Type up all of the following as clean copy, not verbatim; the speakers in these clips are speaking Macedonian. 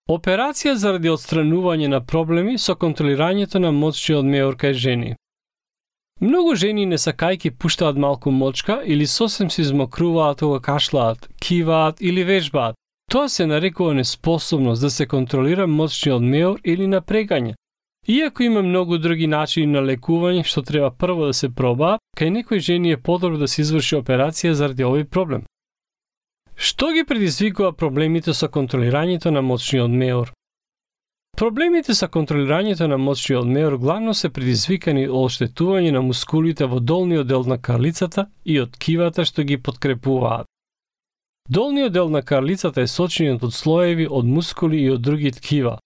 Операција заради отстранување на проблеми со контролирањето на мочниот меур кај жени. Многу жени не сакајки пуштаат малку мочка или сосем се измокруваат кога кашлаат, киваат или вежбаат. Тоа се нарекува неспособност да се контролира мочниот меур или напрегање. Иако има многу други начини на лекување што треба прво да се пробаат, кај некои жени е подобро да се изврши операција заради овој проблем. Што ги предизвикува проблемите со контролирањето на мочниот меур? Проблемите со контролирањето на мочниот меур главно се предизвикани од оштетување на мускулите во долниот дел на карлицата и од ткивата што ги подкрепуваат. Долниот дел на карлицата е сочинет од слоеви од мускули и од други ткива.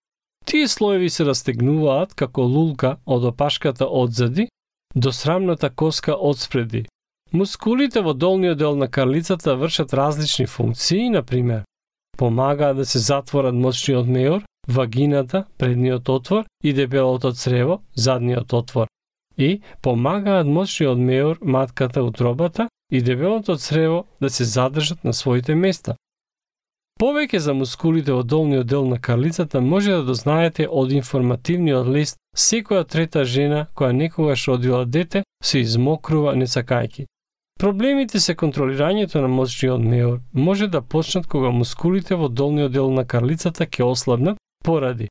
Тие слоеви се растегнуваат како лулка од опашката одзади до срамната коска одспреди. Мускулите во долниот дел на карлицата вршат различни функции, например, помагаат да се затворат мочниот меур, вагината, предниот отвор и дебелото црево, задниот отвор. И помагаат мочниот меур, матката, утробата и дебелото црево да се задржат на своите места. Повеќе за мускулите во долниот дел на карлицата може да дознаете од информативниот лист секоја трета жена која некогаш родила дете се измокрува не сакајки. Проблемите се контролирањето на мочниот меур може да почнат кога мускулите во долниот дел на карлицата ќе ослабнат поради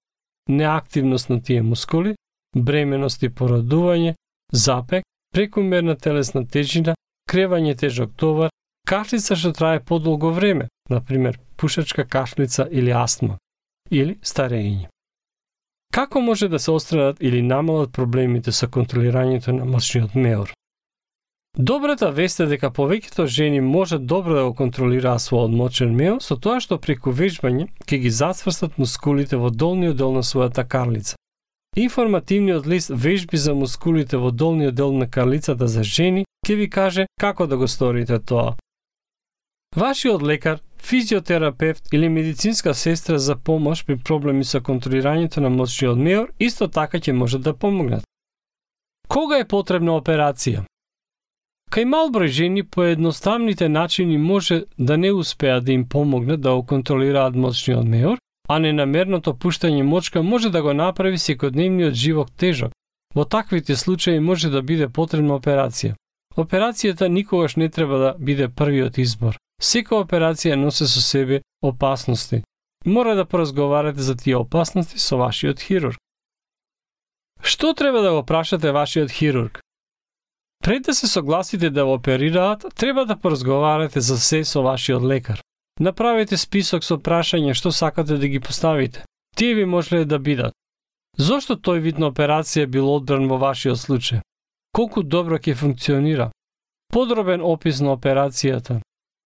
неактивност на тие мускули, бременост и породување, запек, прекумерна телесна тежина, кревање тежок товар, кашлица што трае подолго време, например пушачка кашлица или астма, или старење. Како може да се отстранат или намалат проблемите со контролирањето на мочниот меур? Добрата вест е дека повеќето жени можат добро да го контролираат својот мочен меур со тоа што преку вежбање ќе ги зацврстат мускулите во долниот дел на својата карлица. Информативниот лист вежби за мускулите во долниот дел на карлицата за жени ќе ви каже како да го сторите тоа. Вашиот лекар, физиотерапевт или медицинска сестра за помош при проблеми со контролирањето на мочниот меур исто така ќе можат да помогнат. Кога е потребна операција? Кај мал број жени по едноставните начини може да не успеат да им помогнат да го контролираат мочниот меур, а ненамерното пуштање мочка може да го направи секојдневниот живот тежок. Во таквите случаи може да биде потребна операција. Операцијата никогаш не треба да биде првиот избор. Секоја операција носи со себе опасности. Мора да поразговарате за тие опасности со вашиот хирург. Што треба да го прашате вашиот хирург? Пред да се согласите да го оперираат, треба да поразговарате за се со вашиот лекар. Направете список со прашања што сакате да ги поставите. Тие би можеле да бидат: зошто тој вид на операција бил одбран во вашиот случај? Колку добро ќе функционира? Подробен опис на операцијата.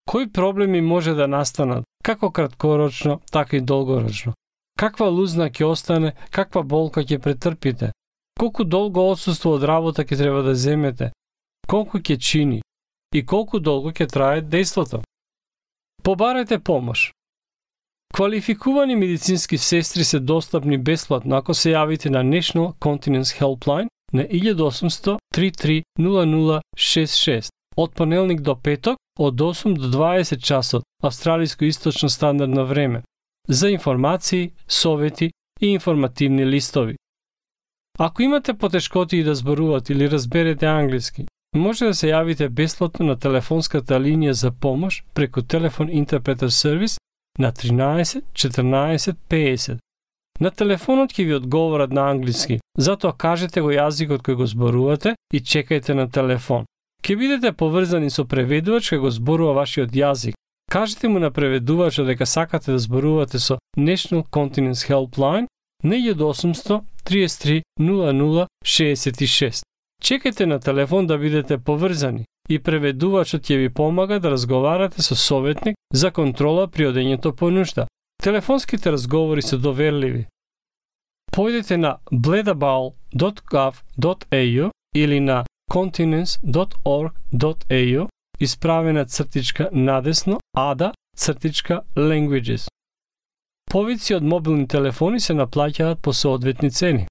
Кои проблеми може да настанат, како краткорочно, така и долгорочно? Каква лузна ќе остане, каква болка ќе претрпите? Колку долго отсуство од работа ќе треба да земете? Колку ќе чини? И колку долго ќе трае дејството? Побарете помош. Квалификувани медицински сестри се достапни бесплатно ако се јавите на National Continence Helpline на 1800 33 0066 од понеделник до петок од 8 до 20 часот австралиско источно стандардно време за информации, совети и информативни листови. Ако имате потешкоти да зборувате или разберете англиски, може да се јавите бесплатно на телефонската линија за помош преку телефон интерпретер сервис на 13 14 50. На телефонот ќе ви одговорат на англиски, затоа кажете го јазикот кој го зборувате и чекајте на телефон. Ќе бидете поврзани со преведувач кој го зборува вашиот јазик. Кажете му на преведувачот дека сакате да зборувате со National Continence Helpline на 1800 33 00 66. Чекајте на телефон да бидете поврзани и преведувачот ќе ви помага да разговарате со советник за контрола при одењето по нушта. Телефонските разговори се доверливи. Појдете на bledabal.gov.au или на continence.org.au исправена цртичка надесно ada-languages. Повици од мобилни телефони се наплаќаат по соодветни цени.